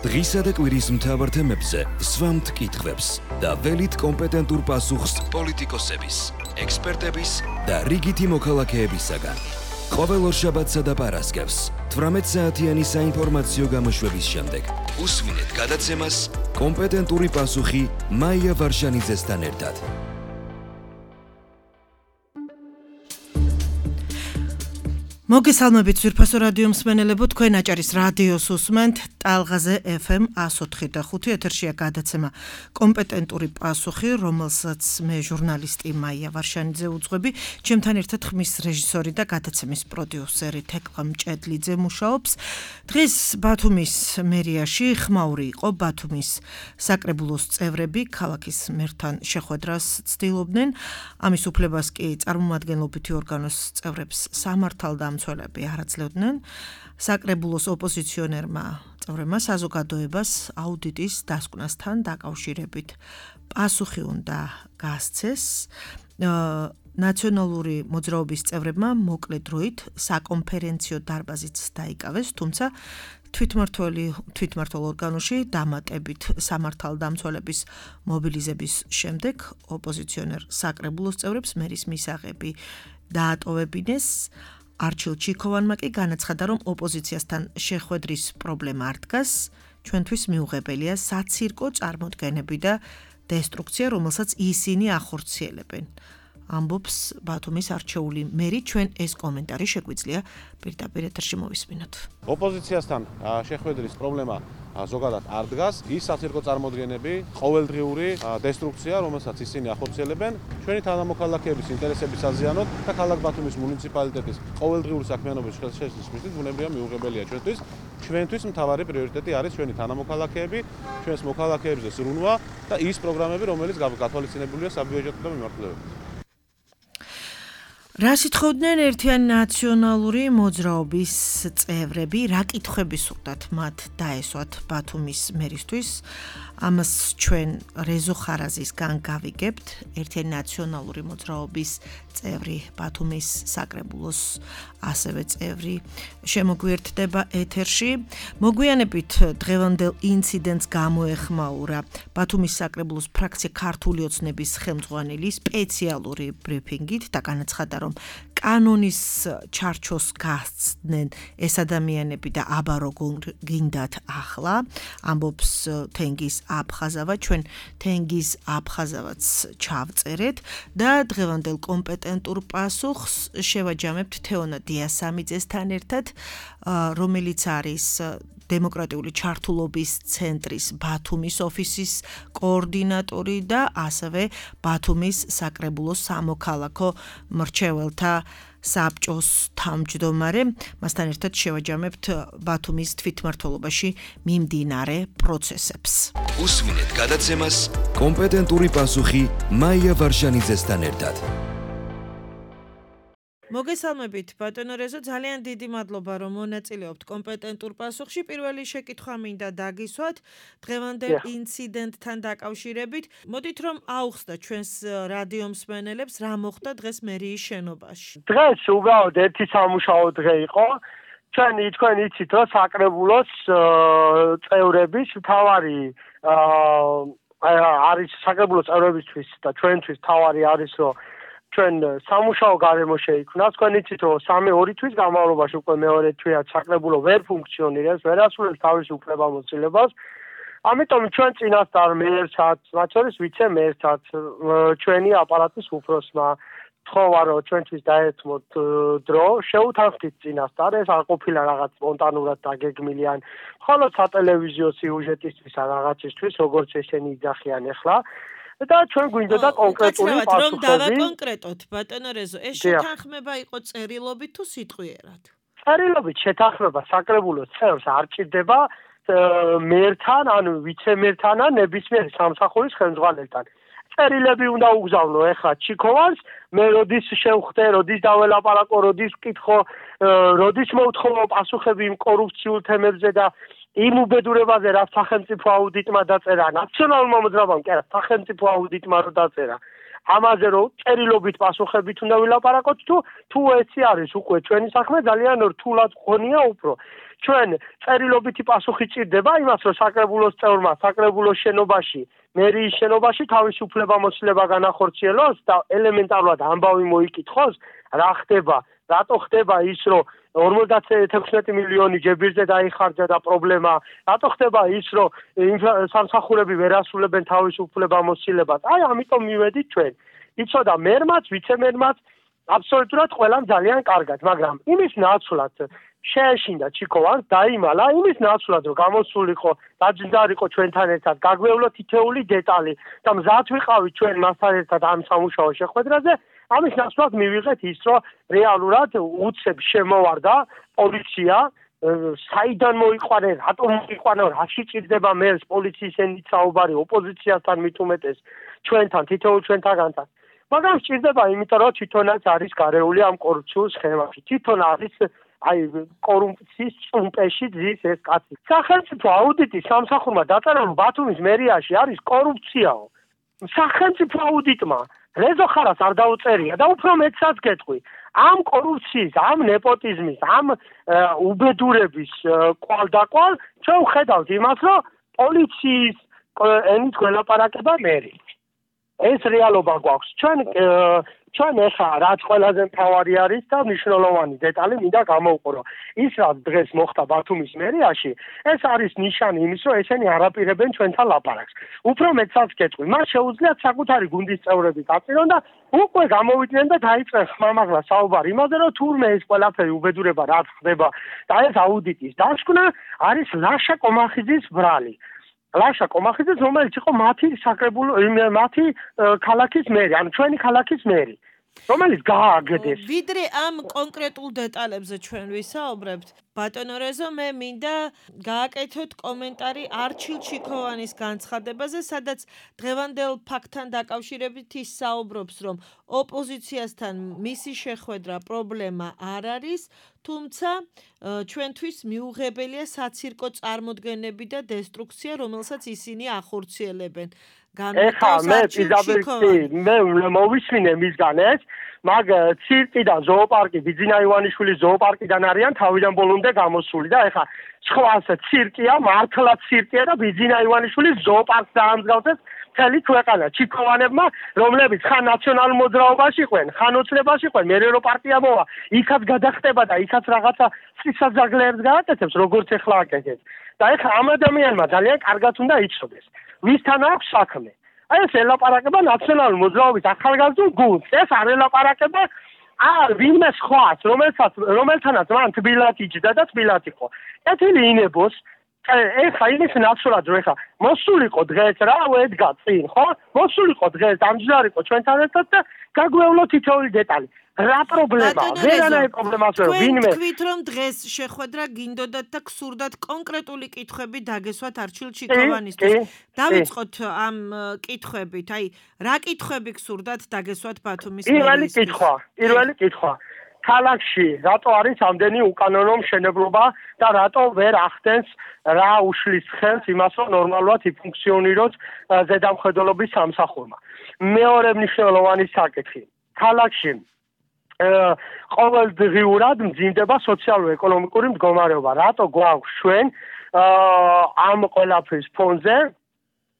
დღისა და კვირის მთავარ თემებზე სვამთ კითხვებს და ველით კომპეტენტურ პასუხს პოლიტიკოსების, ექსპერტების და რიგითი მოქალაქეებისაგან. ყოველ ორშაბათსა და პარასკევს 18 საათიანი საინფორმაციო გამოშვების შემდეგ უსვინეთ გადაცემას კომპეტენტური პასუხი მაია ვარშანიძესთან ერთად. მოგესალმებით ძვირფასო რადიო მსმენელებო, თქვენ აჭარის რადიოს უსმენთ ტალღაზე FM 104.5 ეთერშია გადაცემა კომპეტენტური პასუხი, რომელსაც მე ჟურნალისტი მაია ვარშანიძე უძღვები, ჩემთან ერთად ხმის რეჟისორი და გადაცემის პროდიუსერი თეკლა მჭედლიძე მუშაობს. დღეს ბათუმის მერიაში ხმაური იყო ბათუმის საკრებულოს წევრები ქალაქის მერთან შეხვედრას ცდილობდნენ. ამის უფლებას კი წარმომადგენლობითი ორგანოს წევრებს სამართალდა მცველები არაძლევდნენ. საკრებულოს ოპოზიციონერმა წევრებმა საზოგადოებას აუდიტის დასკვნასთან დაკავშირებით პასუხი უნდა გასცეს. ნაციონალური მოძრაობის წევრებმა მოკლე დროით საკონფერენციო დარბაზიც დაიკავეს, თუმცა თვითმმართველ ორგანოში დამატებით სამართალდამცველების მობილიზების შემდეგ ოპოზიციონერ საკრებულოს წევრებს მერის მისაღები დაატოვებინეს. არჩილ ჩიქოვანმა კი განაცხადა, რომ ოპოზიციასთან შეხვედრის პრობლემა არ დგას, ჩვენთვის მიუღებელია საცირკო წარმოდგენები და დესტრუქცია, რომელსაც ისინი ახორციელებენ. ამბობს ბათუმის არჩეული მერი, ჩვენ ეს კომენტარი შეგვიძლია პირდაპირ ეთერში მოვისმინოთ. ოპოზიციასთან შეხვედრის პრობლემა ზოგადად არ დგას, ის საცირკო წარმოდგენები, ყოველდღიური დესტრუქცია, რომელსაც ისინი ახორციელებენ, ჩვენი თანამოქალაქეების ინტერესების საზიანოდ და ქალაქ ბათუმის მუნიციპალიტეტის ყოველდღიური საქმიანობის შესაძლებლობის მიზნით ბუნებრივია მიუღებელია ჩვენთვის. ჩვენთვის მთავარი პრიორიტეტი არის ჩვენი თანამოქალაქეები, ჩვენს მოქალაქეებზე ზრუნვა და ის პროგრამები, რომელიც გათვალისწინებულია საბიუჯეტო მიმართულებებით. რა სიტყვდნენ ერთიანი ნაციონალური მოძრაობის წევრები, რა კითხვები სურდათ მათ დაესვათ ბათუმის მერისთვის? ამას ჩვენ რეზო ხარაზისგან გავიგებთ, ერთიანი ნაციონალური მოძრაობის წევრი, ბათუმის საკრებულოს ასევე წევრი შემოგვიერთდება ეთერში. მოგვიანებით დღევანდელ ინციდენტს გამოეხმაურა ბათუმის საკრებულოს ფრაქცია ქართული ოცნების ხელმძღვანელი სპეციალური ბრიფინგით და განაცხადა, რომ კანონის ჩარჩოს გასცდნენ ეს ადამიანები და აბა როგორ გინდათ ახლა, ამბობს თენგიზ აფხაზავა, ჩვენ თენგიზ აფხაზავაც ჩავწერეთ და დღევანდელ კომპეტენტურ პასუხს შევაჯამებთ თეონა დიასამიძესთან ერთად, რომელიც არის დემოკრატიული ჩართულობის ცენტრის ბათუმის ოფისის კოორდინატორი და ასევე ბათუმის საკრებულოს სამოქალაქო მრჩეველთა საბჭოს თავმჯდომარე. მასთან ერთად შევაჯამებთ ბათუმის თვითმმართველობაში მიმდინარე პროცესებს. უსვინეთ გადაცემას კომპეტენტური პასუხი მაია ვარშანიძესთან ერთად. მოგესალმებით ბატონო რეზო, ძალიან დიდი მადლობა რომ მონაწილეობთ კომპეტენტურ პასუხში. პირველი შეკითხვა მინდა დაგისვათ დღევანდელ ინციდენტთან დაკავშირებით. მოდით რომ აუხსნა ჩვენს რადიო მსმენელებს რა მოხდა დღეს მერიის შენობაში. დღეს უბრალოდ ერთი სამუშაო დღე იყო. თქვენ იცით რომ საკრებულოს წევრების მთავარი არის საკრებულოს წევრებისთვის და ჩვენთვის მთავარი არის რომ ჩვენ სამუშაო გარემო შეიქმნა. თქვენ იცით რომ 3-2 თვის განმავლობაში უკვე მეორე თვეა საკრებულო ვერ ფუნქციონირებს, ვერ ასრულებს თავის უფლებამოსილებას. ამიტომ ჩვენ წინასწარ მერსაც, მათ შორის ვიცე-მერსაც, ჩვენი აპარატის უფროსმა თხოვა რომ ჩვენთვის დაერთმოთ დრო, შეუთანხმდით წინასწარ, ეს არ ყოფილა რაღაც სპონტანურად დაგეგმილი ან მხოლოდ სატელევიზიო სიუჟეტისთვის ან რაღაცისთვის, როგორც ესენი იძახიან ახლა. და ჩვენ გვინდოდა კონკრეტული პასუხები. რომ დავაკონკრეტოთ, ბატონო რეზო, ეს შეთანხმება იყო წერილობით თუ სიტყვიერად? წერილობით შეთანხმება საკრებულოს წევრს არ ჭირდება მერთან, ანუ ვიცე-მერთან ან ნებისმიერ სამსახურის ხელმძღვანელთან. წერილები უნდა უგზავნო ეხლა ჩიქოვანს, მე როდის შევხვდე, როდის დაველაპარაკო, როდის ვკითხო, როდის მოვთხოვო პასუხები იმ კორუფციულ თემებზე და იმ უბედურებაზე, რაც სახელმწიფო აუდიტმა დაწერა, ნაციონალურმა მოძრაობამ კი არა, სახელმწიფო აუდიტმა რო დაწერა. ამაზე რომ წერილობით პასუხებით უნდა ვილაპარაკოთ თუ ეცი არის უკვე ჩვენი საქმე ძალიან რთულად გქონია უფრო. ჩვენ წერილობითი პასუხი ჭირდება იმას, რომ საკრებულოს წევრმა საკრებულოს შენობაში, მერიის შენობაში თავისი უფლებამოსილება განახორციელოს და ელემენტარულად ამბავი მოიკითხოს, რა ხდება, რატო ხდება ის, რომ 56 მილიონი ჯებირზე დაიხარჯა და პრობლემა, რატო ხდება ის, რომ სამსახურები ვერ ასრულებენ თავის უფლებამოსილებას. აი, ამიტომ მივედით ჩვენ. იცოდა მერმაც, ვიცემერმაც, აბსოლუტურად ყველამ ძალიან კარგად, მაგრამ იმის ნაცვლად შეეშინდა ჩიკოვანს, დაიმალა იმის ნაცვლად, რომ გამოსულიყო, დაჯდარიყო ჩვენთან ერთად, გაგვევლო თითეული დეტალი და მზად ვიყავით ჩვენ მასთან ერთად ამ სამუშაო შეხვედრაზე. ამის ნაცვლად მივიღეთ ის, რომ რეალურად უცებ შემოვარდა პოლიცია, საიდან მოიყვანე, რატომ მოიყვანე, რაში ჭირდება მერს პოლიციის ენით საუბარი ოპოზიციასთან მით უმეტეს ჩვენთან, თითოეულ ჩვენთაგანთან. მაგრამ სჭირდება იმიტომ, რომ თვითონაც არის გარეული ამ კორუფციულ სხემაში. თვითონ არის აი კორუფციის წუმპეში ძის ეს კაცი. სახელმწიფო აუდიტის სამსახურმა დაწერა, რომ ბათუმის მერიაში არის კორუფციაო. სახელმწიფო აუდიტმა რეზო ხარას არ დაუწერია და უფრო მეტსაც გეტყვი. ამ კორუფციის, ამ ნეპოტიზმის, ამ უბედურების კვალდაკვალ ჩვენ ვხედავთ იმას, რომ პოლიციის ენით გველაპარაკება მერი. ეს რეალობა გვაქვს. ჩვენ ეხა რაც ყველაზე მთავარი არის და მნიშვნელოვანი დეტალი მინდა გამოვყურო. ის რაც დღეს მოხდა ბათუმის მერიაში, ეს არის ნიშანი იმის, რომ ესენი არაპირებენ ჩვენთან ლაპარაკს. უფრო მეტსაც გეტყვი, მას შეუძლიათ საკუთარი გუნდის წევრები გაწირონ და უკვე გამოვიდნენ და დაიწყეს ხმამაღლა საუბარი იმაზე, რომ თურმე ეს ყველაფერი უბედურება რაც ხდება და ეს აუდიტის დასკვნა არის ლაშა კომახიძის ბრალი. ლაშა კომახიძე, რომელიც იყო მათი ქალაქის მერი, ანუ ჩვენი ქალაქის მერი, რომელიც გააგდეს. ვიდრე ამ კონკრეტულ დეტალებზე ჩვენ ვისაუბრებთ, ბატონო რეზო, მე მინდა გააკეთოთ კომენტარი არჩილ ჩიქოვანის განცხადებაზე, სადაც დღევანდელ ფაქტთან დაკავშირებით ის საუბრობს, რომ ოპოზიციასთან მისი შეხვედრა პრობლემა არ არის, თუმცა ჩვენთვის მიუღებელია საცირკო წარმოდგენები და დესტრუქცია, რომელსაც ისინი ახორციელებენ. ეხა მე მოვისმინე მისგან ეს, მაგ ცირკი და ზოოპარკი, ბიძინა ივანიშვილის ზოოპარკიდან არიან თავიდან ბოლომდე გამოსული და ეხა სხვას ცირკია, მართლა ცირკია და ბიძინა ივანიშვილის ზოოპარკს დაამსგავსეს მთელი ქვეყანა. ჩიქოვანებმა, რომლებიც ხან ნაციონალურ მოძრაობაში იყვნენ, ხან ოცნებაში იყვნენ, მერე რო პარტია მოვა, იქაც გადახტება და იქაც რაღაცა სისაძაგლეებს გააკეთებს, როგორც ეხლა აკეთებს. და ეხლა ამ ადამიანმა ძალიან კარგად უნდა იცოდეს, ვისთან აქვს საქმე. აი ეს ელაპარაკება ნაციონალური მოძრაობის ახალგაზრდულ გუნდს. ეს არ ელაპარაკება ვინმე სხვას, რომელთანაც მან თბილად იჯდა და თბილად იყო. კეთილი ინებოს, ეხა იმის ნაცვლად, რომ ეხა მოსულიყო დღეს რა ედგა წინ, ხო? მოსულიყო დღეს, ამჯდარიყო ჩვენთან ერთად და გაგვევლო თითოეული დეტალი. რა პრობლემა? ვერანაირ პრობლემას ვერ ვინმე. თქვით რომ დღეს შეხვედრა გინდოდათ და გსურდათ კონკრეტული კითხვები დაგესვათ არჩილ ჩიქოვანისთვის. დავიწყოთ ამ კითხვებით. აი, რა კითხვები გსურდათ დაგესვათ ბათუმის მერიის? პირველი კითხვა. ქალაქში რატო არის ამდენი უკანონო მშენებლობა და რატო ვერ ახდენს რა უშლის ხელს იმას, რომ ნორმალურად იფუნქციონიროს ზედამხედველობის სამსახურმა. მეორე მნიშვნელოვანი საკითხი. ქალაქში ყოველდღიურად მძიმდება სოციალურ-ეკონომიკური მდგომარეობა. რატო გვაქვს ჩვენ ამ ყველაფრის ფონზე,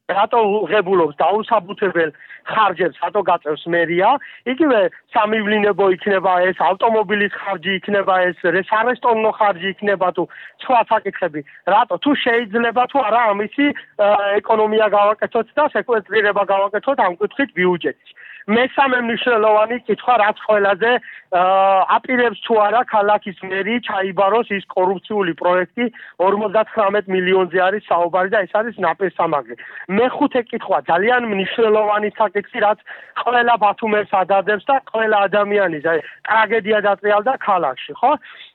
რატო უღებულობს დაუსაბუთებელ ხარჯებს, რატო გაწევს მერია, იგივე სამივლინებო იქნება ეს, ავტომობილის ხარჯი იქნება ეს, სარესტორნო ხარჯი იქნება თუ სხვა საკითხები, რატო თუ შეიძლება თუ არა ამისი ეკონომია გავაკეთოთ და სეკვესტრირება გავაკეთოთ ამ კუთხით ბიუჯეტის. მესამე მნიშვნელოვანი კითხვა, რაც ყველაზე აპირებს თუ არა ქალაქის მერი ჩაიბაროს ის კორუფციული პროექტი 59 მილიონზე არის საუბარი და ეს არის ნაპირსამაგრი. მეხუთე კითხვა, ძალიან მნიშვნელოვანი საკითხი, რაც ყველა ბათუმელს ადადებს და ყველა ადამიანის ტრაგედია დატრიალდა ქალაქში, ხო?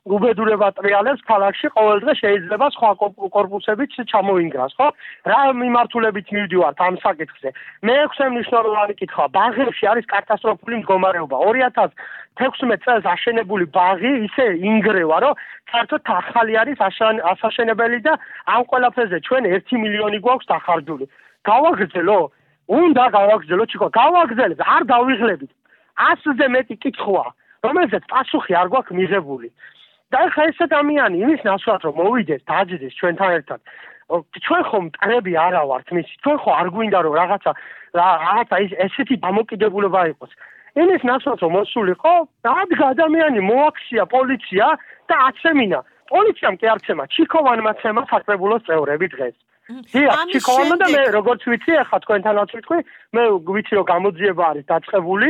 უბედურება ტრიალებს ქალაქში, ყოველდღე შეიძლება სხვა კორპუსებით ჩამოინგრას, ხო? რა მიმართულებით მივდივართ ამ საკითხზე? მეექვსე მნიშვნელოვანი კითხვა, ბაღებში არის კატასტროფული მდგომარეობა. 2016 წელს აშენებული ბაღი ისე ინგრევა, რომ საერთოდ ახალი არის ასაშენებელი და ამ ყველაფერზე ჩვენ 1 მილიონი გვაქვს დახარჯული. გავაგრძელო? უნდა გავაგრძელო, ჩიქო, გავაგრძელებ, არ დავიღლებით. 100-ზე მეტი კითხვა, რომელზეც პასუხი არ გვაქვს მიღებული. და ხა ეს ადამიანი იმის ნაცვლად რომ მოვიდეს დაძიდეს ჩვენთან ერთად ჩვენ ხომ მტრები არა ვართ მისი ჩვენ ხო არ გვინდა რომ რაღაცა ესეთი დამოკიდებულება იყოს იმის ნაცვლად რომ მოსულიყო დადგა ადამიანი მოაქცია პოლიცია და აცემინა პოლიციამ კი არ ცემა ჩიქოვანმა ცემა საკრებულოს წევრები დღეს ჩიქოვანმა და მე როგორც ვიცი ახლა თქვენთანაც ვიტყვი მე ვიცი რომ გამოძიება არის დაწყებული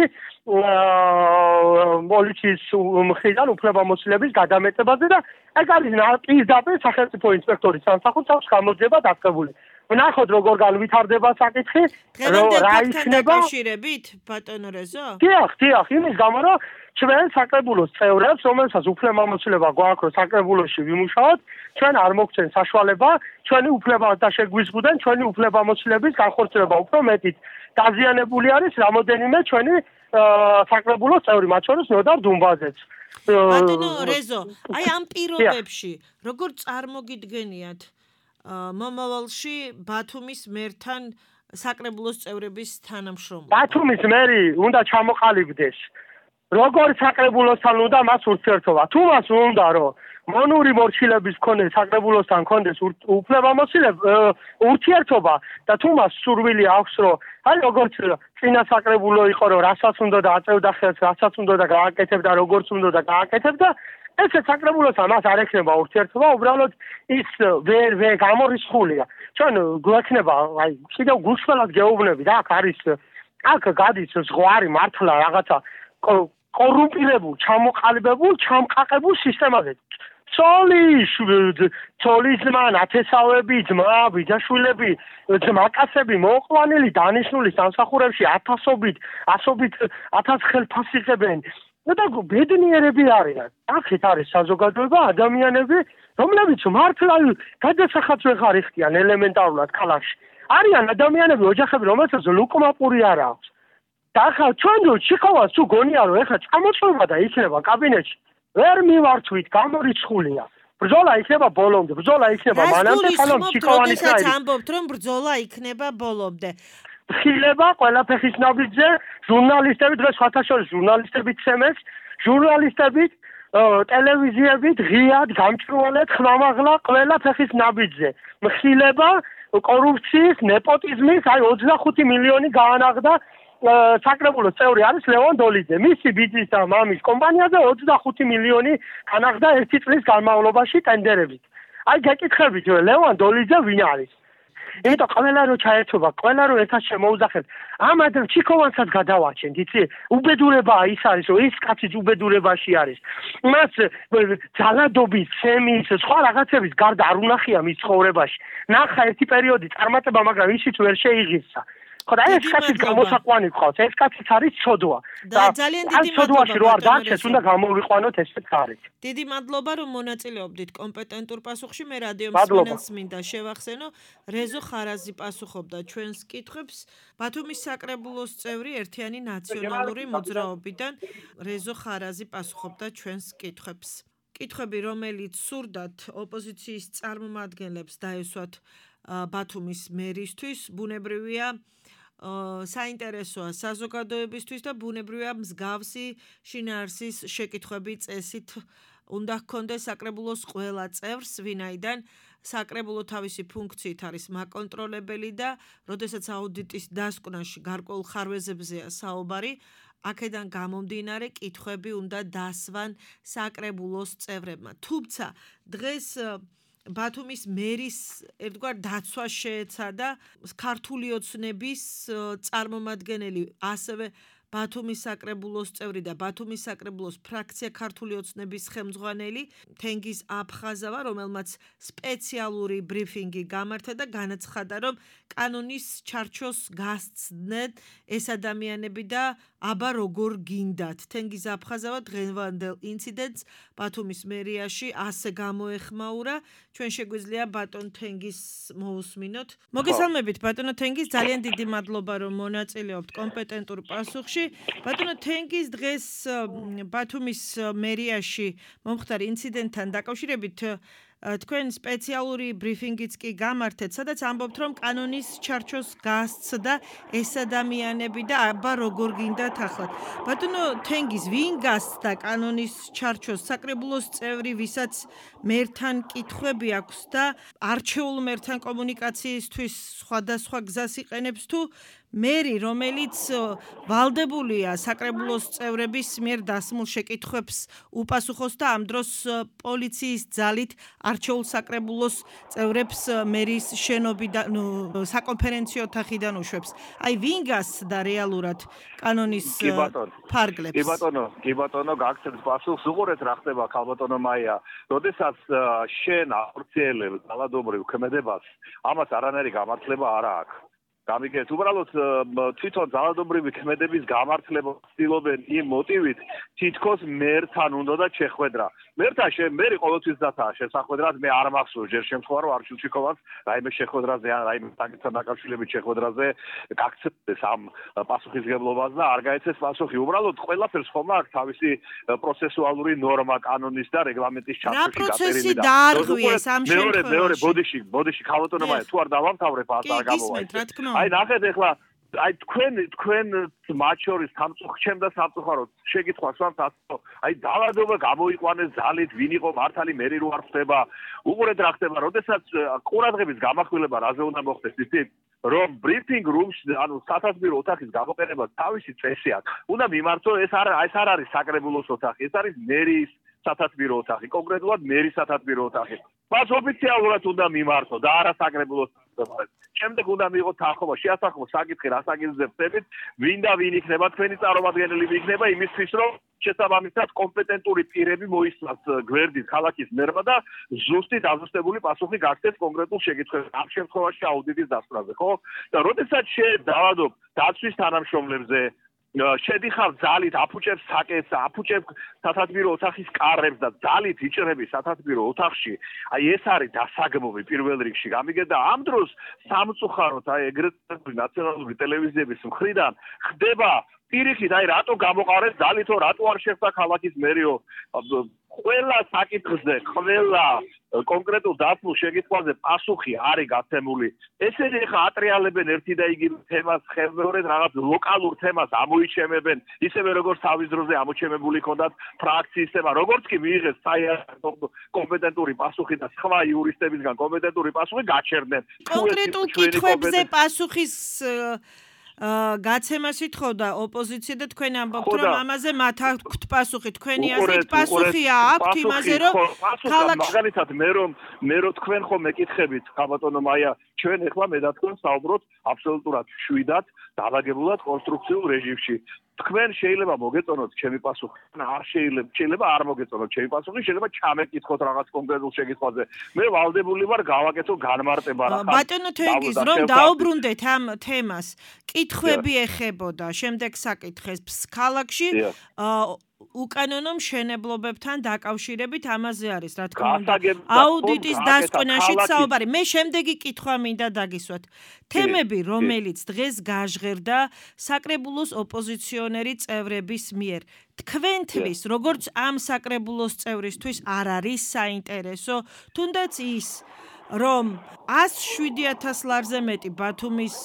პოლიციის მხრიდან უფლებამოსილების გადამეტებაზე და ეგ არის პირდაპირ სახელმწიფო ინსპექტორის სამსახურს გამოძიება დაწყებული ვნახოთ როგორ განვითარდება საკითხი რა იქნება დაკავშირებით ბატონო რეზო დიახ იმის გამო რომ ჩვენ საკრებულოს წევრებს რომელსაც უფლებამოსილება გვაქვს რომ საკრებულოში ვიმუშაოთ ჩვენ არ მოგცენ საშუალება ჩვენი უფლება და შეგვიზღუდენ ჩვენი უფლებამოსილების განხორციელება უფრო მეტით დაზიანებული არის რამოდენიმე ჩვენი საკრებულოს წევრი მათ შორის ნოდარ დუმბაძეც ბატონო რეზო აი ამ პირობებში როგორ წარმოგიდგენიათ მომავალში ბათუმის მერთან საკრებულოს წევრების თანამშრომლობა ბათუმის მერი უნდა ჩამოყალიბდეს როგორ საკრებულოსთან უნდა მას ურთიერთობა თუ მას უნდა რომ მონური მორჩილების მქონე საკრებულოსთან კონდეს ურთიერთობა და თუ მას სურვილი აქვს რომ აი როგორც წინა საკრებულო იყო რომ რასაც უნდა და აწევდა ხელს რასაც უნდა და გააკეთებდა როგორც უნდა და გააკეთებდა ეს საკრებულოსთან მას არ ექნება ურთიერთობა უბრალოდ ის ვერ გამორიცხულია ჩვენ გვექნება აი კიდევ გულშველად გეუბნები და აქ გადის ზღვარი მართლა რაღაცა კორუმპირებულ ჩამოყალიბებულ ჩამყაყებულ სისტემაზე ცოლის ძმა ნათესავები ძმა ბიძაშვილები ძმაკაცები მოყვანილი დანიშნული სამსახურებში ათასობით ხელფასს იღებენ და ბედნიერები არიან აქეთ არის საზოგადოება ადამიანები რომლებიც მართლა გადასახადს ვეღარ იხდიან ელემენტარულად ქალაქში არიან ადამიანები ოჯახები რომელსაც ლუკმაპური არ აქვს და ახლა ჩვენ ჩიქოვას თუ გონია რომ ეხლა წამოწვევა და იქნება კაბინეტში ვერ მივართვით გამორიცხულია ბრძოლა იქნება ბოლომდე ბრძოლა იქნება მანამდე სანამ ჩიქოვანის რაი ამბობთ რომ ბრძოლა იქნება ბოლომდე ხილება ყველა ფეხის ნაბიჯზე ჟურნალისტები დღეს ხათაშორის ჟურნალისტები ცემეს ჟურნალისტები ტელევიზიები ღიად გამჭრვალეთ ხმამაღლა ყველა ფეხის ნაბიჯზე ხილება კორუფციის ნეპოტიზმის აი 25 მილიონი გაანაღდა საკრებულოს წევრი არის ლევან დოლიძე. მისი ბიძის და მამის კომპანიაზე 25 მილიონი განახდა ერთი წლის განმავლობაში ტენდერებით. აი გეკითხებით ლევან დოლიძე ვინ არის? იმიტომ ყველა რო ჩაერთვება, ყველა რო ერთად შემოუძახეთ, ამ ადრე ჩიქოვანსაც გადავაჩენთ, იცი? უბედურებაა ის არის, რომ ეს კაციც უბედურებაში არის. მას ძალადობის, ცემის, სხვა რაღაცების გარდა არ უნახია მის ცხოვრებაში. ნახა ერთი პერიოდი წარმატება, მაგრამ ისიც ვერ შეიღიცა. ხოდა ეს კაცის გამოსაყვანი ყავს, ეს კაციც არის ცოდვა. და ძალიან დიდი ცოდვაში რო არ დარჩეს, უნდა გამოვიყვანოთ ესეც არის. დიდი მადლობა რომ მონაწილეობდით კომპეტენტურ პასუხში. მე რადიო მსმენელს მინდა შევახსენო, რეზო ხარაზი პასუხობდა ჩვენს კითხვებს. ბათუმის საკრებულოს წევრი ერთიანი ნაციონალური მოძრაობიდან რეზო ხარაზი პასუხობდა ჩვენს კითხვებს. კითხვები, რომელიც სურდათ ოპოზიციის წარმომადგენლებს დაესვათ ბათუმის მერისთვის, ბუნებრივია საინტერესოა საზოგადოებისთვის და ბუნებრივია მსგავსი შინაარსის შეკითხვები წესით უნდა ჰქონდეს საკრებულოს ყველა წევრს, ვინაიდან საკრებულო თავისი ფუნქციით არის მაკონტროლებელი და როდესაც აუდიტის დასკვნაში გარკვეულ ხარვეზებზეა საუბარი, აქედან გამომდინარე კითხვები უნდა დასვან საკრებულოს წევრებმა. თუმცა დღეს ბათუმის მერის ერთგვარ დაცვა შეეცადა ქართული ოცნების წარმომადგენელი, ასევე ბათუმის საკრებულოს წევრი და ბათუმის საკრებულოს ფრაქცია ქართული ოცნების ხელმძღვანელი თენგიზ აფხაზავა, რომელმაც სპეციალური ბრიფინგი გამართა და განაცხადა, რომ კანონის ჩარჩოს გასცდნენ ეს ადამიანები და აბა როგორ გინდათ. თენგიზ აფხაზავა დღევანდელ ინციდენტს ბათუმის მერიაში ასე გამოეხმაურა. ჩვენ შეგვიძლია ბატონ თენგიზს მოусმინოთ. მოგესალმებით ბატონო თენგიზ, ძალიან დიდი მადლობა რომ მონაწილეობთ კომპეტენტურ პასუხში. ბატონო თენგიზ, დღეს ბათუმის მერიაში მომხდარ ინციდენტთან დაკავშირებით თქვენ სპეციალური ბრიფინგიც კი გამართეთ, სადაც ამბობთ, რომ კანონის ჩარჩოს გასცდა ეს ადამიანები და აბა როგორ გინდათ ახლა. ბატონო თენგიზ, ვინ გასცდა კანონის ჩარჩოს? საკრებულოს წევრი, ვისაც მერთან კითხვები აქვს და არჩეულ მერთან კომუნიკაციისთვის სხვადასხვა გზას იყენებს თუ მერი, რომელიც ვალდებულია საკრებულოს წევრების მიერ დასმულ შეკითხვებს უპასუხოს და ამ დროს პოლიციის ძალით არჩეულ საკრებულოს წევრებს მერის შენობიდან, საკონფერენციო ოთახიდან უშვებს. აი, ვინ გასცდა რეალურად კანონის ფარგლებს? კი ბატონო, გაგცემს პასუხს. უყურეთ რა ხდება, ქალბატონო მაია. როდესაც შენ ახორციელებ ძალადობრივ ქმედებას, ამას არანაირი გამართლება არ აქვს. გამიგეთ, უბრალოდ თვითონ ძალადობრივი ქმედების გამართლება ცდილობენ იმ მოტივით, თითქოს მერთან უნდა შეხვედრა. მერი ყოველთვის დათაა შესახვედრად, მე არ მახსოვს ჯერ შემთხვევა, რომ არჩილჩიკოვას რაიმე შეხვედრაზე ან რაიმე საკითხთან დაკავშირებით შეხვედრაზე გაქცევდეს ამ პასუხისგებლობას და არ გაეცეს პასუხი. უბრალოდ ყველაფერს ხომ აქვს თავისი პროცესუალური ნორმა, კანონის და რეგლამენტის ჩართვაში გაწერილი და რა პროცესი დაარღვიეს ამ შემთხვევაში? მეორე, ბოდიში, ქალბატონო მაია, თუ არ დავამთავრებ, არ გამოვაი. აი ნახეთ ეხლა აი თქვენ მათ შორის სამწუხაროდ და სამწუხაროდ შეკითხვას ვამთ, აი დაავადობა გამოიყვანეს ძალით, ვინ იყო მართალი, მერი რო არ ხდება. უყურეთ რა ხდება, როდესაც ყურადღების გამახვილება რაზე უნდა მოხდეს, იცით? რომ ბრიფინგ რუმში, ანუ სათათბირო ოთახის გამოყენება თავისი წესი აქვს. უნდა მიმართო, ეს არ არის საკრებულოს ოთახი, ეს არის მერის სათათბირო ოთახი, კონკრეტულად მერის სათათბირო ოთახი. მას ოფიციალურად უნდა მიმართო და არა საკრებულოს ოთახი. შემდეგ უნდა მიიღოთ თანხმობა, შეასახმო საკითხი, რა საკითხზე ხდებით, ვინ და ვინ იქნება თქვენი წარმომადგენელი იქნება იმისთვის, რომ შესაბამისად კომპეტენტური პირები მოისმას გვერდით ქალაქის მერმა და ზუსტი დაზუსტებული პასუხი გაქცეს კონკრეტულ შეკითხვებზე, ამ შემთხვევაში აუდიტის დასწრაზე, ხო? და როდესაც დავადობ დაცვის თანამშრომლებზე შედიხარ ძალით, აფუჭებს საკეთს, აფუჭებს სათათბირო ოთახის კარებს და ძალით იჭრები სათათბირო ოთახში. აი ეს არის დასაგმოვი პირველ რიგში. გამიგეთ და ამ დროს სამწუხაროდ აი ეგრეთ ნაციონალური ტელევიზიების მხრიდან ხდება პირიქით, აი რატო გამოყარეს ძალითო, რატო არ შეხვდა ქალაქის მერიო. ყველა საკითხზე, ყველა კონკრეტულ დასმულ შეკითხვაზე პასუხი არის გაცემული. ესენი ხა ატრიალებენ ერთი და იგივე თემას, ხელმეორედ რაღაც ლოკალურ თემას ამოიჩემებენ, ისევე როგორც თავის დროზე ამოჩემებული ჰქონდათ ფრაქციის თემა, როგორც კი მიიღეს საერთო კომპეტენტური პასუხი და სხვა იურისტებისგან კომპეტენტური პასუხი გაჩერდნენ. კონკრეტულ კითხვებზე პასუხის გაცემას ითხოვდა ოპოზიცია და თქვენ ამბობთ, რომ ამაზე მათ აქვთ პასუხი. თქვენი აზრით პასუხია აქვთ იმაზე, რომ ქალაქში მაგალითად მე რომ თქვენ ხომ მეკითხებით, ქალბატონო მაია, ჩვენ ეხლა მე და თქვენ საუბრობთ აბსოლუტურად შვიდად, დაალაგებულად კონსტრუქციულ რეჟიმში. თქვენ შეიძლება მოგეწონოთ ჩემი პასუხი, არ შეიძლება არ მოგეწონოთ ჩემი პასუხი, შეიძლება ჩამეკითხოთ რაღაც კონკრეტულ შეკითხვაზე. მე ვალდებული ვარ გავაკეთო განმარტება რა. ბატონო თენგიზ, რომ დაუბრუნდეთ ამ თემას, კითხვები ეხებოდა შემდეგ საკითხებს ქალაქში უკანონო მშენებლობებთან დაკავშირებით ამაზე არის, რა თქმა უნდა, აუდიტის დასკვნაშიც საუბარი. მე შემდეგი კითხვა მინდა დაგისვათ. თემები, რომელიც დღეს გაჟღერდა საკრებულოს ოპოზიციონერი წევრების მიერ, თქვენთვის, როგორც ამ საკრებულოს წევრისთვის არ არის საინტერესო, თუნდაც ის, რომ 107,000 ლარზე მეტი ბათუმის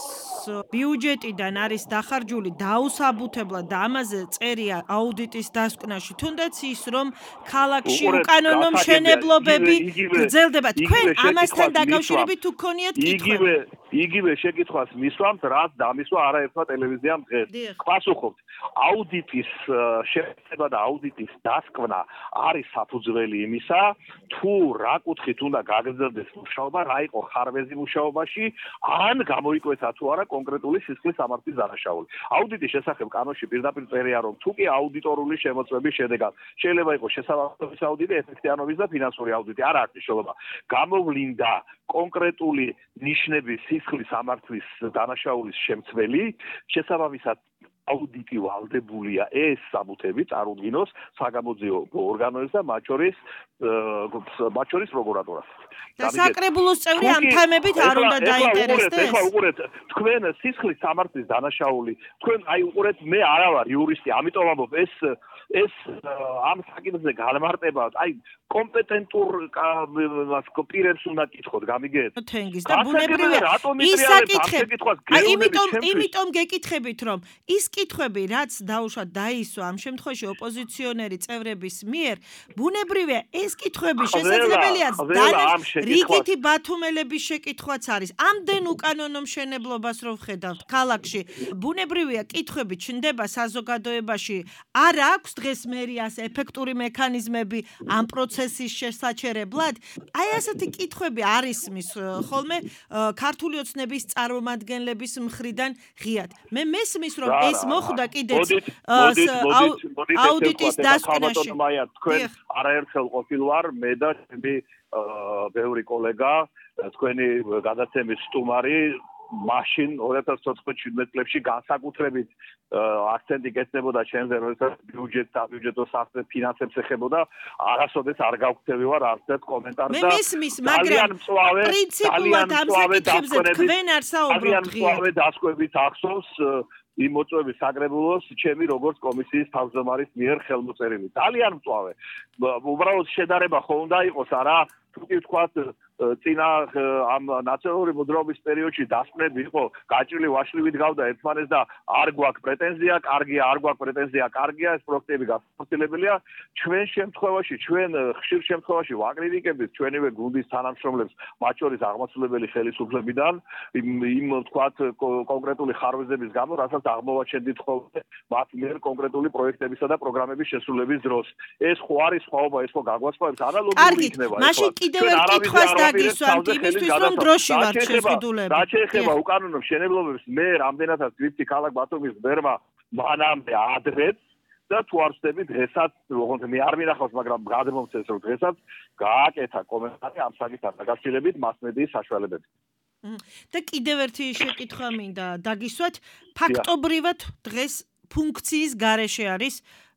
ბიუჯეტიდან არის დახარჯული დაუსაბუთებლად და ამაზე წერია აუდიტის დასკვნაში, თუნდაც ის, რომ ქალაქში უკანონო მშენებლობები გრძელდება. თქვენ ამასთან დაკავშირებით თუ გქონიათ კითხვები? იგივე შეკითხვას მისვამთ, რაც დამისვა არაერთმა ტელევიზიამ დღეს. პასუხობთ, აუდიტის შეფასება და აუდიტის დასკვნა არის საფუძველი იმისა, თუ რა კუთხით უნდა გაგრძელდეს მუშაობა, რა იყო ხარვეზი მუშაობაში, ან გამოიკვეთა თუ არა კონკრეტული სისხლის სამართლის დანაშაული. აუდიტის შესახებ კანონში პირდაპირ წერია, რომ თუ კი აუდიტორული შემოწმების შედეგად შეიძლება იყოს შესაბამისობის აუდიტი, ეფექტიანობის და ფინანსური აუდიტი, არ აქვს მნიშვნელობა. გამოვლინდა კონკრეტული ნიშნების სისხლის სამართლის დანაშაულის შემცველი, შესაბამისად აუდიტი ვალდებულია ეს საბუთები წარუდგინოს საგამოძიებო ორგანოებს და მათ შორის პროკურატურას. და საკრებულოს წევრი ამ თემებით არ უნდა დაინტერესდეს? ეხლა უყურეთ, თქვენ სისხლის სამართლის დანაშაული, თქვენ აი უყურეთ, მე არა ვარ იურისტი, ამიტომ ამბობ, ეს ეს ამ საკითხზე განმარტება, აი კომპეტენტურ პირებს უნდა კითხოთ, გამიგეთ? თენგის და ბუნებრივია ის საკითხები. იმიტომ გეკითხებით, რომ ის კითხვები, რაც დაუშვათ დაისვა ამ შემთხვევაში ოპოზიციონერი წევრების მიერ, ბუნებრივია ეს კითხვები შესაძლებელია რიგითი ბათუმელების შეკითხვაც არის. ამდენ უკანონო მშენებლობას რო ვხედავთ ქალაქში, ბუნებრივია კითხვები ჩნდება საზოგადოებაში. არ აქვს დღეს მერიას ეფექტური მექანიზმები ამ პროცესის შესაჩერებლად. აი ასეთი კითხვები არ ისმის ხოლმე ქართული ოცნების წარმომადგენლების მხრიდან ღიად. მე მესმის რომ ეს მოხდა კიდეც აუდიტის დასკვნაში. თქვენ არაერთხელ ყოფილ ვარ მე და ჩემი ბევრი კოლეგა, თქვენი გადაცემის სტუმარი მაშინ 2014-17 წლებში განსაკუთრებით აქცენტი გეცნებოდა ჩემზე, როდესაც ბიუჯეტო საფინანსებს ფინანსებს ეხებოდა, არასოდეს არ გავქცევი ვარ არც ერთ კომენტარს და ძალიან პრინციპულად ამ საკითხებზე თქვენ არ საუბრობთ. ძალიან მწვავე დასკვებით ახსოვს იმ მოწვევის საკრებულოს ჩემი როგორც კომისიის თავმჯდომარის მიერ ხელმოწერილი. ძალიან მწვავე. უბრალოდ შედარება ხო უნდა იყოს არა? თუ კი ვთქვათ წინა ამ ნაციონალური მოძრაობის პერიოდში დასკვნები იყო გაჭრილი ვაშლივით გავდა ერთმანეთს და არ გვაქვს პრეტენზია, კარგია, არ გვაქვს პრეტენზია, კარგია, ეს პროექტები განხორციელებელია. ჩვენ შემთხვევაში, ჩვენ ხშირ შემთხვევაში ვაკრიტიკებთ ჩვენივე გუნდის თანამშრომლებს, მათ შორის აღმასრულებელი ხელისუფლებიდან, იმ ვთქვათ კონკრეტული ხარვეზების გამო, რასაც აღმოვაჩენდით ხოლმე მათ მიერ კონკრეტული პროექტებისა და პროგრამების შესრულების დროს. ეს ხო არის სხვაობა, ეს ხო გაგვასწავლებს ანალოგიური იქნება. მაშინ კიდევ ერთ კითხვას დაგისვამთ იმისთვის, რომ დროში ვართ შეზღუდულები. რაც შეეხება უკანონო მშენებლობებს, მე რამდენადაც ვიცი ქალაქ ბათუმის მერმა მანამდე ადრეც და თუ არ ვწდები დღესაც, ოღონდ მე არ მინახავს, მაგრამ გადმომცეს რომ დღესაც გააკეთა კომენტარი ამ საკითხთან დაკავშირებით მასმედიის საშუალებებით. და კიდევ ერთი შეკითხვა მინდა დაგისვათ, ფაქტობრივად დღეს ფუნქციის გარეშე არის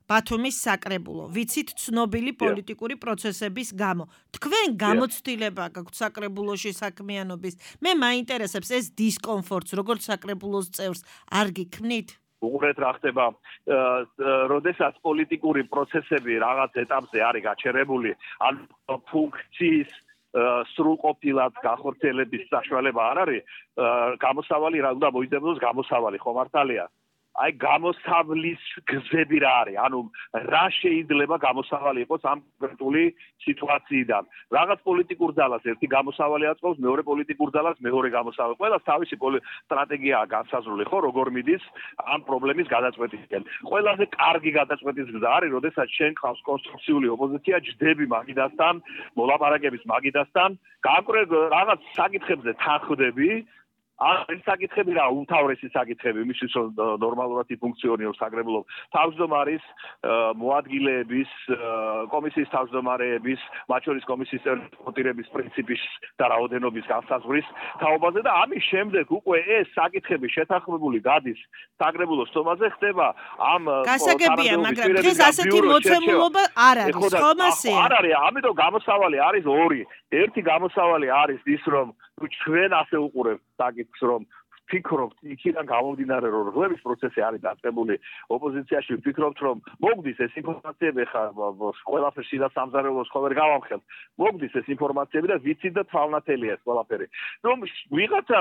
ბათუმის საკრებულო. ვიცით ცნობილი პოლიტიკური პროცესების გამო. თქვენ გამოცდილება გაქვთ საკრებულოში საქმიანობის. მე მაინტერესებს ეს დისკომფორტს, როგორც საკრებულოს წევრს, არ გიქმნით? უყურეთ რა ხდება, როდესაც პოლიტიკური პროცესები რაღაც ეტაპზე არის გაჩერებული, ან ფუნქციის სრულყოფილად განხორციელების საშუალება არ არის, გამოსავალი რა უნდა მოიძებნოს გამოსავალი, ხო მართალია? აი გამოსავლის გზები რა არის? ანუ რა შეიძლება გამოსავალი იყოს ამ კონკრეტული სიტუაციიდან? რაღაც პოლიტიკურ ძალას ერთი გამოსავალი აწყობს, მეორე პოლიტიკურ ძალას მეორე გამოსავალი. ყველას თავისი სტრატეგიაა განსაზღვრული, ხო, როგორ მიდის ამ პრობლემის გადაწყვეტისკენ. ყველაზე კარგი გადაწყვეტის გზა არის, როდესაც შენ ყავს კონსტრუქციული ოპოზიცია, ჯდები მაგიდასთან, მოლაპარაკების მაგიდასთან, კონკრეტ რაღაც საკითხებზე თანხმდები. ეს საკითხები რა უმთავრესი საკითხები იმისთვის რომ ნორმალურად იფუნქციონიროს საკრებულო თავმჯდომარის მოადგილეების კომისიის თავმჯდომარეების მათ შორის კომისიის წევრების პრინციპის და რაოდენობის განსაზღვრის თაობაზე და ამის შემდეგ უკვე ეს საკითხები შეთანხმებული გადის საკრებულოს სტომაზე ხდება ამ გასაგებია მაგრამ დღეს ასეთი მოცემულობა არ არის ხო მასე არ არის ამიტომ გამოსავალი არის ორი ერთი გამოსავალი არის ის რომ ჩვენ ასე უყურებთ საკითხს რომ ვფიქრობთ იქიდან გამომდინარე რომ რღვევის პროცესი არის დაწყებული ოპოზიციაში ვფიქრობთ რომ მოგდის ეს ინფორმაციები ხა ყველაფერში და სამზარეულოს ხო ვერ გავამხელთ მოგდის ეს ინფორმაციები და ვიცით და თვალნათელია ეს ყველაფერი რომ ვიღაცა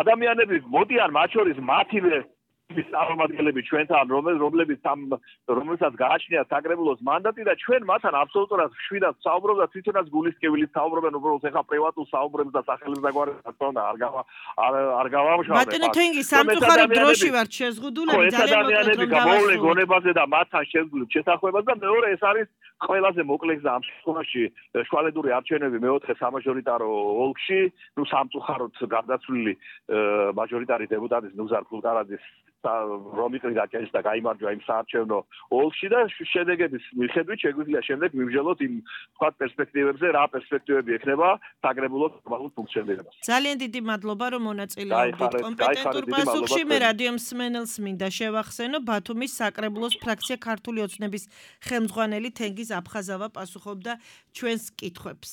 ადამიანები მოდიან მათ შორის მათივე წარმომადგენლები ჩვენთან რომელსაც გააჩნიათ საკრებულოს მანდატი და ჩვენ მათთან აბსოლუტურად შვიდად საუბრობთ და თვითონაც გულისკევილით საუბრობენ უბრალოდ ეხა პრივატულ საუბრებს და სახელმწიფო არ გავამშავებ ბატონო თენგი სამწუხაროდ დროში ვართ შეზღუდულები ძალიან მოკლედ გამოვლენ გონებაზე და მათთან შეზღუდულ შეთანხმებას და მეორე ეს არის ყველაზე მოკლე გზა ამ შემთხვევაში შუალედური არჩევნები მეოთხე სამაჟორიტარო ოლქში ნუ სამწუხაროდ გარდაცვლილი მაჟორიტარი დეპუტატის ნუზარ ფულკარაძის რომ იყრიდა კენს და გაიმარჯვა იმ საარჩევნო ოლქში და შედეგების მიხედვით შეგვიძლია შემდეგ მივსჯელოთ იმ სხვა პერსპექტივებზე რა პერსპექტივები ექნება საკრებულოს ნორმალურ ფუნქციონირებას. ძალიან დიდი მადლობა რომ მონაწილეობდით კომპეტენტურ პასუხში მე რადიო მსმენელს მინდა შევახსენო ბათუმის საკრებულოს ფრაქცია ქართული ოცნების ხელმძღვანელი თენგიზ აფხაზავა პასუხობდა ჩვენს კითხვებს.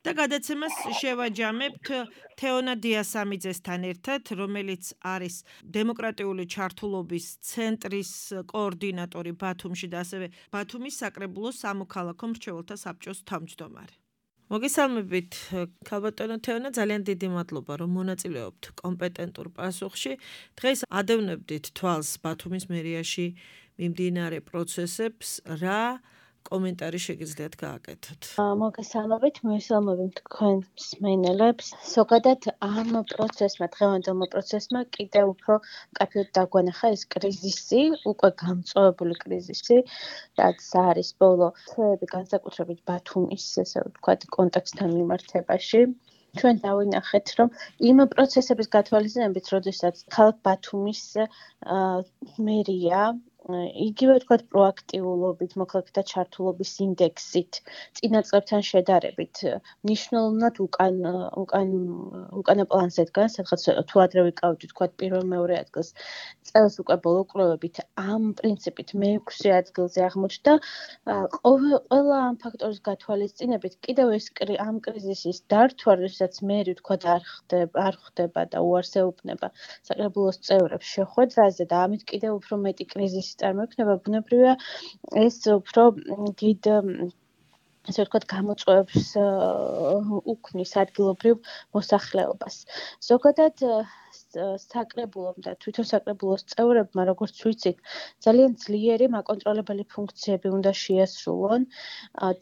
და გადაცემას შევაჯამებთ თეონა დიასამიძესთან ერთად, რომელიც არის დემოკრატიული ჩართულობის ცენტრის კოორდინატორი ბათუმში და ასევე ბათუმის საკრებულოს სამოქალაქო მრჩეველთა საბჭოს თავმჯდომარე. მოგესალმებით, ქალბატონო თეონა, ძალიან დიდი მადლობა, რომ მონაწილეობთ კომპეტენტურ პასუხში. დღეს ადევნებდით თვალს ბათუმის მერიაში მიმდინარე პროცესებს, რა კომენტარი შეგიძლიათ გააკეთოთ? მოგესალმებით, მივესალმებით თქვენ მსმენელებს. ზოგადად ამ პროცესმა, დღევანდელმა პროცესმა კიდევ უფრო მკაფიოდ დაგვანახა ეს კრიზისი, უკვე გამწვავებული კრიზისი, რაც არის ბოლო თვეები განსაკუთრებით ბათუმის, ესე ვთქვათ, კონტექსტთან მიმართებაში. ჩვენ დავინახეთ, რომ იმ პროცესების გათვალისწინებით, როდესაც ქალაქ ბათუმის მერია იგივე ვთქვათ პროაქტიულობით, მოქალაქეთა ჩართულობის ინდექსით, წინა წლებთან შედარებით, მნიშვნელოვნად უკანა პლანზე დგას, სადღაც თუ ადრე ვიკავით, ვთქვათ, პირველ-მეორე ადგილს, წელს უკვე ბოლო კვლევებით ამ პრინციპით მე-6 ადგილზე აღმოჩნდა. ყველა ამ ფაქტორის გათვალისწინებით, კიდევ ეს ამ კრიზისის დართვა, როდესაც მერი ვთქვათ არ ხდება და უარს ეუბნება საკრებულოს წევრებს შეხვედრაზე და ამით კიდევ უფრო მეტი კრიზისი წარმოიქმნება, ბუნებრივია ეს უფრო დიდ ესე ვთქვათ გამოწვევებს უქმნის ადგილობრივ მოსახლეობას. ზოგადად საკრებულომ და თვითონ საკრებულოს წევრებმა, როგორც ვიცით, ძალიან ძლიერი მაკონტროლებელი ფუნქციები უნდა შეასრულონ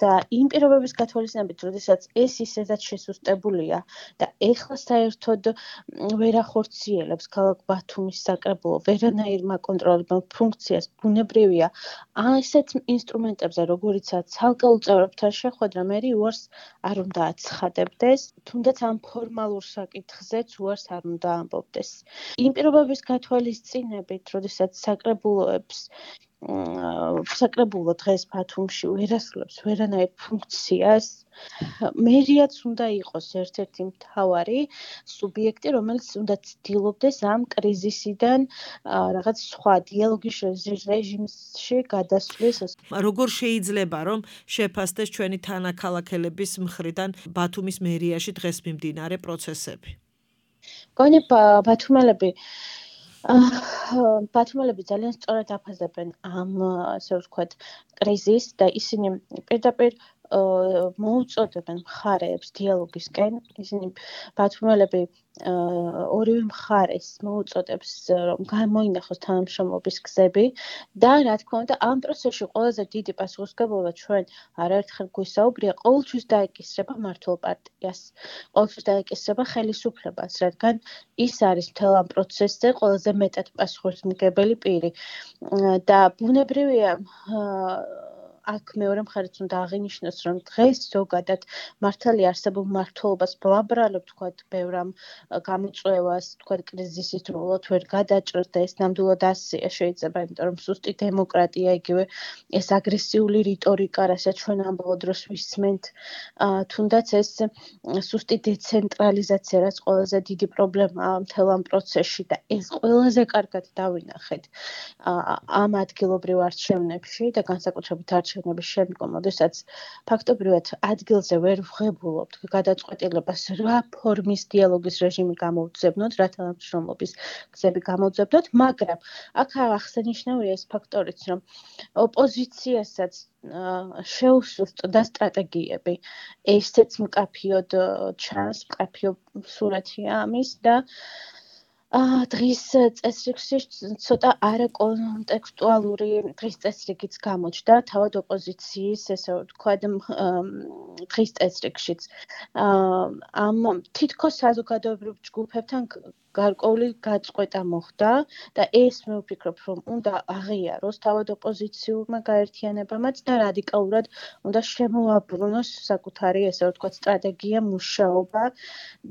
და იმ პირობების გათვალისწინებით, როდესაც ეს ისედაც შესუსტებულია და ეხლა საერთოდ ვერ ახორციელებს ქალაქ ბათუმის საკრებულო ვერანაირ მაკონტროლებელ ფუნქციას, ბუნებრივია ასეთ ინსტრუმენტებზე, როგორიცაა ცალკეულ წევრებთან შეხვედრა, მერი უარს არ უნდა აცხადებდეს, თუნდაც ამ ფორმალურ საკითხზეც უარს არ უნდა ამბობდეს. იმ პირობების გათვალისწინებით, როდესაც საკრებულო დღეს ბათუმში ვერ ასრულებს ვერანაირ ფუნქციას, მერიაც უნდა იყოს ერთ-ერთი მთავარი სუბიექტი, რომელიც უნდა ცდილობდეს ამ კრიზისიდან რაღაც სხვა დიალოგის რეჟიმში გადასვლის. როგორ შეიძლება რომ შეფასდეს ჩვენი თანაქალაქელების მხრიდან ბათუმის მერიაში დღეს მიმდინარე პროცესები? მგონი ბათუმელები ძალიან სწორად აფასებენ ამ, ასე ვთქვათ, კრიზისს და ისინი პირდაპირ მოუწოდებენ მხარეებს დიალოგისკენ. ისინი ბათუმელები ორივე მხარეს მოუწოდებს, რომ გამოინახოს თანამშრომლობის გზები და რა თქმა უნდა, ამ პროცესში ყველაზე დიდი პასუხისმგებლობა ჩვენ არაერთხელ გვისაუბრია, ყოველთვის დაეკისრება მმართველ პარტიას, ყოველთვის დაეკისრება ხელისუფლებას, რადგან ის არის მთელ ამ პროცესზე ყველაზე მეტად პასუხისმგებელი პირი და ბუნებრივია აქ მეორე მხარეს უნდა აღინიშნოს, რომ დღეს ზოგადად მართალი არსებულ მმართველობას ვლაბრალებ, ვთქვათ, ბევრ ამ გამოწვევას, ვთქვათ, კრიზისის დროულად ვერ გადაჭრს და ეს ნამდვილად ასია შეიძლება, იმიტომ რომ სუსტი დემოკრატია, იგივე ეს აგრესიული რიტორიკა, რასაც ჩვენ ამ ბოლო დროს ვისმენთ, თუნდაც ეს სუსტი დეცენტრალიზაცია, რაც ყველაზე დიდი პრობლემაა მთელ ამ პროცესში და ეს ყველაზე კარგად დავინახეთ ამ ადგილობრივ არჩევნებში და განსაკუთრებით არჩევნების შემდგომ, როდესაც ფაქტობრივად ადგილზე ვერ ვღებულობთ გადაწყვეტილებას რა ფორმის დიალოგის რეჟიმი გამოვძებნოთ, რა თანამშრომლობის გზები გამოვძებნოთ, მაგრამ აქ აღსანიშნავია ეს ფაქტორიც, რომ ოპოზიციასაც შეუსუსტდა სტრატეგიები. ესეც მკაფიოდ ჩანს, მკაფიო სურათია ამის და დღის წესრიგში ცოტა არაკონტექსტუალური დღის წესრიგიც გამოჩნდა, თავად ოპოზიციის, ესე ვთქვათ, დღის წესრიგშიც. ამ თითქოს საზოგადოებრივ ჯგუფებთან გარკვეული გაწყვეტა მოხდა და ეს მე ვფიქრობ, რომ უნდა აღიაროს თავად ოპოზიციურმა გაერთიანებამაც და რადიკალურად უნდა შემოაბრუნოს საკუთარი, ესე ვთქვათ, სტრატეგია, მუშაობა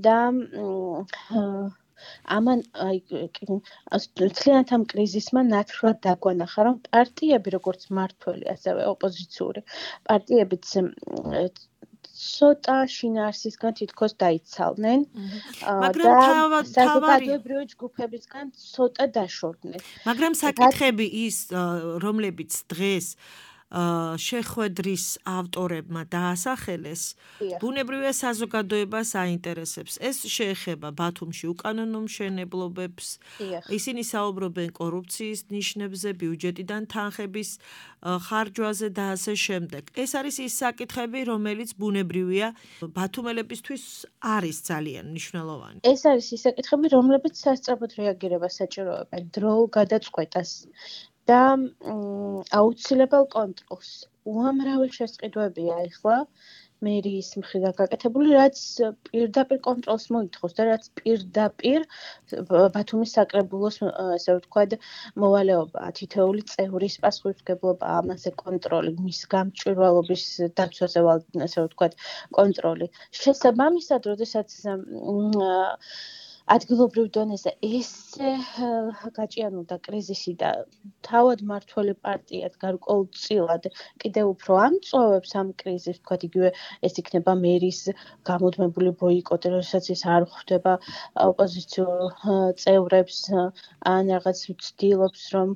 და ამან მთლიანად ამ კრიზისმა ნათლად დაგვანახა, რომ პარტიები, როგორც მმართველი, ასევე ოპოზიციური პარტიებიც ცოტა შინაარსისგან თითქოს დაიცალნენ და საზოგადოებრივი ჯგუფებისგან ცოტა დაშორდნენ. მაგრამ საკითხები ის, რომლებიც დღეს შეხვედრის ავტორებმა დაასახელეს, ბუნებრივია საზოგადოებას აინტერესებს. ეს შეეხება ბათუმში უკანონო მშენებლობებს, ისინი საუბრობენ კორუფციის ნიშნებზე, ბიუჯეტიდან თანხების ხარჯვაზე და ასე შემდეგ. ეს არის ის საკითხები, რომელიც ბუნებრივია ბათუმელებისთვის არის ძალიან მნიშვნელოვანი. ეს არის ის საკითხები, რომლებიც სასწრაფოდ რეაგირებას საჭიროებენ დრო გადაწყვეტას და აუცილებელ კონტროლს. უამრავი შესყიდვებია ახლა მერიის მხრიდან გაკეთებული, რაც პირდაპირ კონტროლს მოითხოვს და რაც პირდაპირ ბათუმის საკრებულოს, ასე ვთქვათ, მოვალეობა, თითოეული წევრის პასუხისმგებლობა ამაზე კონტროლი, მის გამჭვირვალობის დაცვაზე, ასე ვთქვათ, კონტროლი. შესაბამისად, როდესაც ადგილობრივ დონეზე ესე გაჭიანურდა კრიზისი და თავად მმართველი პარტიად გარკვეულწილად კიდევ უფრო ამწოვებს ამ კრიზისს, თქვათ იგივე ეს იქნება მერის გამუდმებული ბოიკოტი, როდესაც ის არ ხვდება ოპოზიციურ წევრებს ან რაღაც ცდილობს, რომ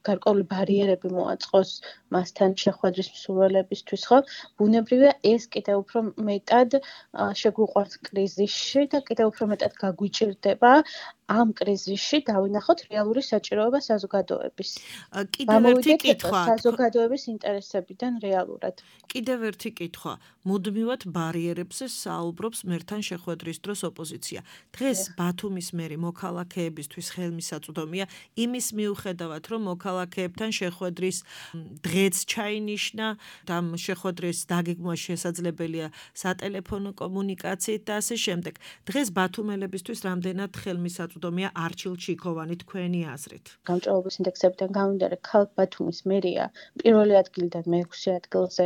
გარკვეული ბარიერები მოაწყოს მასთან შეხვედრის მსურველებისთვის, ხო? ბუნებრივია ეს კიდევ უფრო მეტად შეგვიყვარს კრიზისში და კიდევ უფრო მეტად გაგვიჭირდება ამ კრიზისში დავინახოთ რეალური საჭიროება საზოგადოების. კიდევ ერთი კითხვა. საზოგადოების ინტერესებიდან რეალურად. კიდევ ერთი კითხვა. მუდმივად ბარიერებზე საუბრობს მერთან შეხვედრის დროს ოპოზიცია. დღეს ბათუმის მერი მოქალაქეებისთვის ხელმისაწვდომია იმის მიუხედავად, რომ მოქალაქეებთან შეხვედრის დღეც ჩაინიშნა, ამ შეხვედრის დაგეგმვა შესაძლებელია სატელეფონო კომუნიკაციით და ასე შემდეგ. დღეს ბათუმელებისთვის რამდენად ხელმისაწვდომია არჩილ ჩიქოვანი თქვენი აზრით? გამჭვირვალობის ინდექსებიდან გამომდინარე, ქალაქ ბათუმის მერია პირველი ადგილიდან მე-6 ადგილზე,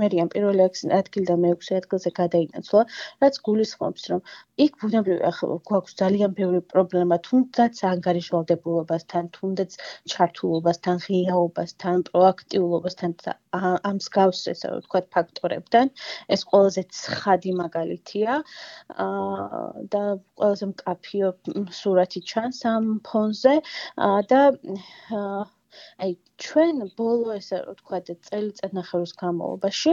მერიამ პირველი ადგილიდან მე-6 ადგილზე გადაინაცვლა, რაც გულისხმობს, რომ იქ ბუნებრივია გვაქვს ძალიან ბევრი პრობლემა, თუნდაც ანგარიშვალდებულობასთან, თუნდაც ჩართულობასთან, ღიაობასთან, პროაქტიულობასთან და ამ მსგავს, ესე ვთქვათ, ფაქტორებთან. ეს ყველაზე ცხადი მაგალითია და ყველაზე მკაფიო სურათი ჩანს ამ ფონზე და აი ჩვენ ბოლო ესე ვთქვათ წელიწადნახევრის განმავლობაში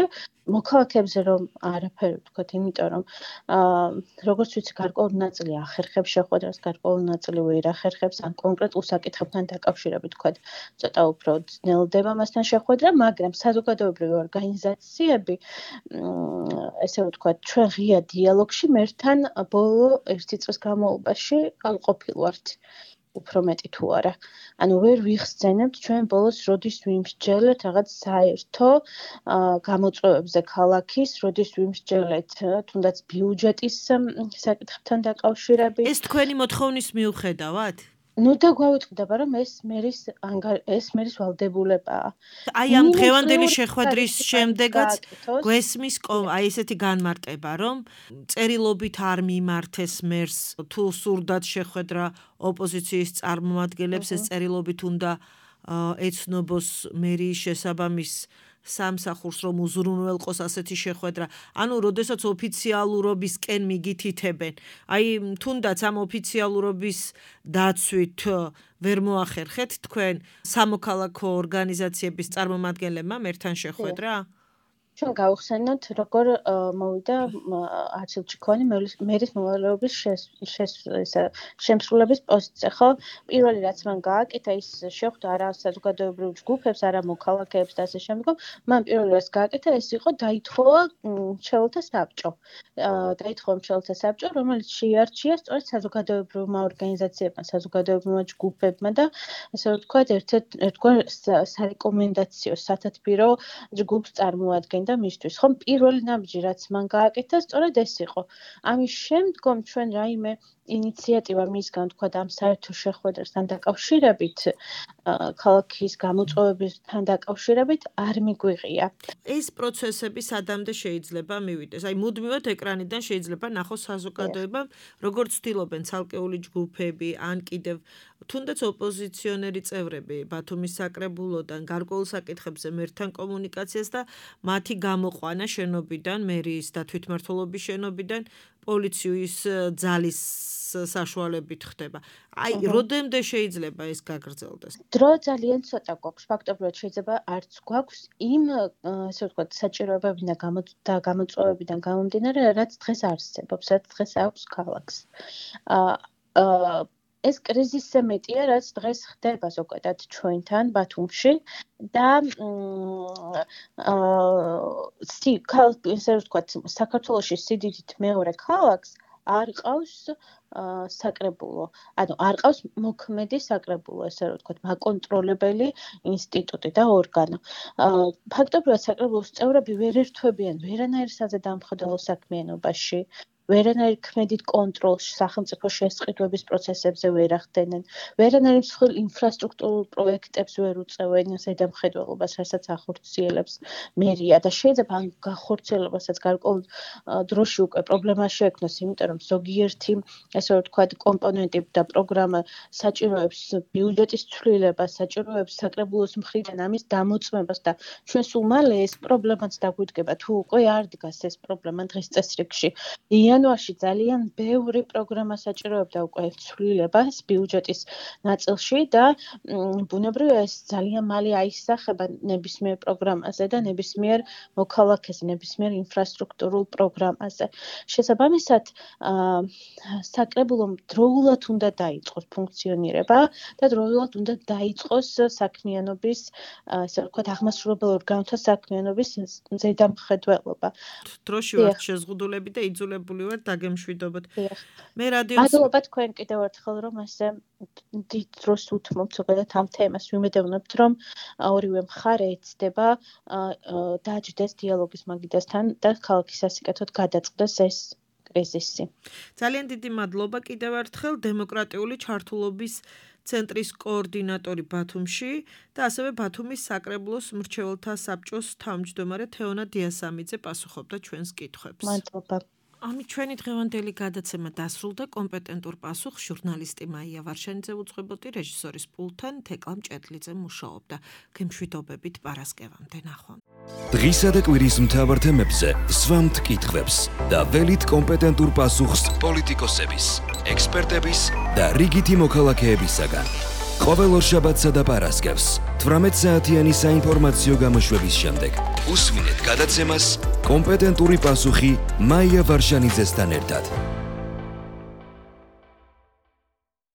მოქალაქეებზე რომ არაფერი ვთქვათ, იმიტომ რომ როგორც ვიცი გარკვეული ნაწილი ახერხებს შეხვედრას, გარკვეული ნაწილი ვერ ახერხებს ან კონკრეტულ საკითხებთან დაკავშირებით ვთქვათ, ცოტა უფრო ძნელდება მასთან შეხვედრა, მაგრამ საზოგადოებრივი ორგანიზაციები ესე ვთქვათ, ჩვენ ღია დიალოგში მერთან ბოლო 1 წლის განმავლობაში ყოფილვართ. უფრო მეტი თუ არა. ანუ ვერ ვიხსენებთ ჩვენ ბოლოს როდის ვიმსჯელეთ რაღაც საერთო გამოწვევებზე ქალაქის, როდის ვიმსჯელეთ თუნდაც ბიუჯეტის საკითხებთან დაკავშირებით. ეს თქვენი მოთხოვნის მიუხედავად? ნუ და გვავიწყდება, რომ ეს მერის ვალდებულებაა. აი ამ დღევანდელი შეხვედრის შემდეგაც გვესმის აი ესეთი განმარტება, რომ წერილობით არ მიმართეს მერს, თუ სურდათ შეხვედრა ოპოზიციის წარმომადგენლებს, ეს წერილობით უნდა ეცნობოს მერიის შესაბამის სამსახურს, რომ უზრუნველყოს ასეთი შეხვედრა. ანუ, როდესაც ოფიციალურობისკენ მიგითითებენ, აი თუნდაც ამ ოფიციალურობის დაცვით ვერ მოახერხეთ თქვენ სამოქალაქო ორგანიზაციების წარმომადგენლებმა მერთან შეხვედრა? ჩვენ გავხსენოთ, როგორ მოვიდა არჩილ ჩიქოვანი მერის მოვალეობის შემსრულების პოსტზე, ხო? პირველი რაც მან გააკეთა, ის შეხვდა არა საზოგადოებრივ ჯგუფებს, არა მოქალაქეებს და ასე შემდგომ. მან პირველი რაც გააკეთა, ეს იყო დაითხოვა მრჩეველთა საბჭო. დაითხოვა მრჩეველთა საბჭო, რომელიც შეიარჩია სწორედ საზოგადოებრივმა ორგანიზაციებმა, საზოგადოებრივმა ჯგუფებმა და ასე ვთქვათ, ერთგვარ სარეკომენდაციო სათათბირო ჯგუფს წარმოადგენდა და მისთვის, ხომ პირველი ნაბიჯი რაც მან გააკეთა, სწორედ ეს იყო. ამის შემდგომ ჩვენ რაიმე ინიციატივა მისგან თქვა ამ საერთო შეხვედრასთან დაკავშირებით, ქალაქის გამოწვევებთან დაკავშირებით არ მიგვიღია. ეს პროცესები სადამდე შეიძლება მივიდეს? აი მუდმივად ეკრანიდან შეიძლება ნახოს საზოგადოებამ, როგორც ცდილობენ ცალკეული ჯგუფები ან კიდევ თუნდაც ოპოზიციონერი წევრები ბათუმის საკრებულოდან გარკვეულ საკითხებზე მერთან კომუნიკაციას და მათი გამოყვანა შენობიდან, მერიის და თვითმმართველობის შენობიდან პოლიციის ძალის საშუალებით ხდება. აი, როდემდე შეიძლება ეს გაგრძელდეს? დრო ძალიან ცოტა გვაქვს. ფაქტობრივად შეიძლება არც გვაქვს იმ ასე ვთქვათ საჭიროებებიდან და გამოწვევებიდან გამომდინარე, რაც დღეს არსებობს, რაც დღეს აქვს ქალაქს. ეს კრიზისზე მეტია, რაც დღეს ხდება ზოგადად ჩვენთან ბათუმში და საქართველოში სიდიდით მეორე ქალაქს არ ყავს საკრებულო. ანუ არ ყავს მოქმედი საკრებულო, ესე რომ ვთქვათ, მაკონტროლებელი ინსტიტუტი და ორგანო. ფაქტობრივად საკრებულოს წევრები ვერ ერთვებიან ვერანაირ საზედამხედველო საქმიანობაში. ვერანაირ ქმედით კონტროლს სახელმწიფო შესყიდვების პროცესებზე ვერ ახდენენ, ვერანაირ მსხვილ ინფრასტრუქტურულ პროექტებს ვერ უწევენ ზედამხედველობას, რასაც ახორციელებს მერია და შეიძლება ამ გახორციელებასაც გარკვეულ დროში უკვე პრობლემა შეექმნას, იმიტომ რომ ზოგიერთი, ესე რომ ვთქვათ, კომპონენტი და პროგრამა საჭიროებს ბიუჯეტის ცვლილებას, საჭიროებს საკრებულოს მხრიდან ამის დამოწმებას და ჩვენ სულ მალე ეს პრობლემაც დაგვიდგება, თუ უკვე არ დგას ეს პრობლემა დღის წესრიგში. იანვარში ძალიან ბევრი პროგრამა საჭიროებდა უკვე ცვლილებას ბიუჯეტის ნაწილში და ბუნებრივია ეს ძალიან მალე აისახება ნებისმიერ პროგრამაზე და ნებისმიერ მოქალაქეზე, ნებისმიერ ინფრასტრუქტურულ პროგრამაზე. შესაბამისად, საკრებულომ დროულად უნდა დაიწყოს ფუნქციონირება და დროულად უნდა დაიწყოს საქმიანობის, ასე ვთქვათ, აღმასრულებელ ორგანოთა საქმიანობის ზედამხედველობა. დროში ვართ შეზღუდულები და იძულებული ვართ დაგემშვიდობოთ. მე რადიოს მადლობა თქვენ კიდევ ერთხელ რომ ასე დიდ დროს უთმობთ ზოგადად ამ თემას. ვიმედოვნებთ რომ ორივე მხარე ეცდება დაჯდეს დიალოგის მაგიდასთან და ქალაქის სასიკეთოდ გადაწყდეს ეს კრიზისი. ძალიან დიდი მადლობა კიდევ ერთხელ დემოკრატიული ჩართულობის ცენტრის კოორდინატორი ბათუმში და ასევე ბათუმის საკრებულოს მრჩეველთა საბჭოს თავმჯდომარე თეონა დიასამიძე პასუხობდა ჩვენს კითხვებს. მადლობა. ამით ჩვენი დღევანდელი გადაცემა დასრულდა. კომპეტენტურ პასუხს ჟურნალისტი მაია ვარშანიძე უძღვებოდი, რეჟისორის პულტთან თეკლა მჭედლიძე მუშაობდა. გემშვიდობებით პარასკევამდე ნახვამდის. დღისა და კვირის მთავარ თემებზე სვამთ კითხვებს და ველით კომპეტენტურ პასუხს პოლიტიკოსების, ექსპერტების და რიგითი მოქალაქეებისაგან. ყოველ ორშაბათსა და პარასკევს 18 საათიანი საინფორმაციო გამოშვების შემდეგ უსმინეთ გადაცემას კომპეტენტური პასუხი მაია ვარშანიძესთან ერთად.